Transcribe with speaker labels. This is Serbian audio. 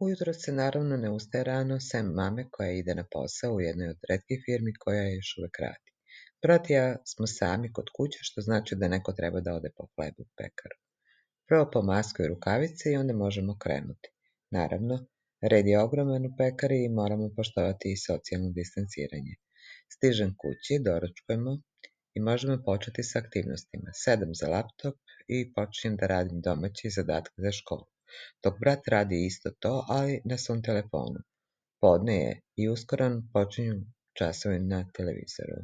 Speaker 1: Ujutro se naravno ne ustaje rano, sem mame koja ide na posao u jednoj od retkih firmi koja još uvek radi. Brat i ja smo sami kod kuće, što znači da neko treba da ode po hleb u pekaru. Prvo po masku i rukavice i onda možemo krenuti. Naravno, red je ogroman u pekari i moramo poštovati i socijalno distanciranje. Stižem kući, doručkujemo i možemo početi sa aktivnostima. Sedam za laptop i počinjem da radim domaće zadatke za školu. Dok brat radi isto to, ali na svom telefonu. Podne je i uskoro počinju časovi na televizoru.